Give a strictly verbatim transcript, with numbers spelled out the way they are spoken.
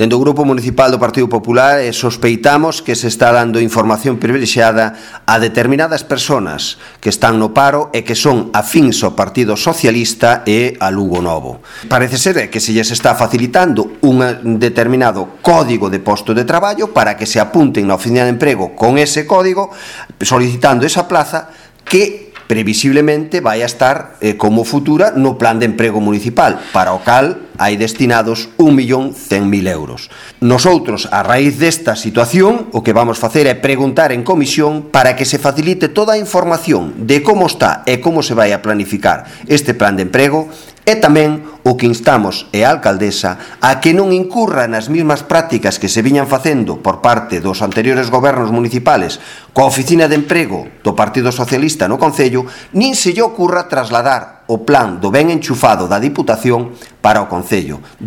Dende o Grupo Municipal do Partido Popular sospeitamos que se está dando información privilexiada a determinadas persoas que están no paro e que son afíns ao Partido Socialista e a Lugo Novo. Parece ser que se lles está facilitando un determinado código de posto de traballo para que se apunten na oficina de emprego con ese código solicitando esa plaza que previsiblemente vai a estar eh, como futura no plan de emprego municipal, para o cal hai destinados un millón cen mil euros. Nosotros, a raíz desta situación, o que vamos facer é preguntar en comisión para que se facilite toda a información de como está e como se vai a planificar este plan de emprego, e tamén o que instamos é a alcaldesa a que non incurra nas mesmas prácticas que se viñan facendo por parte dos anteriores gobernos municipales coa oficina de emprego do Partido Socialista no Concello, nin se lle ocurra trasladar o plan do ben enchufado da Diputación para o Concello.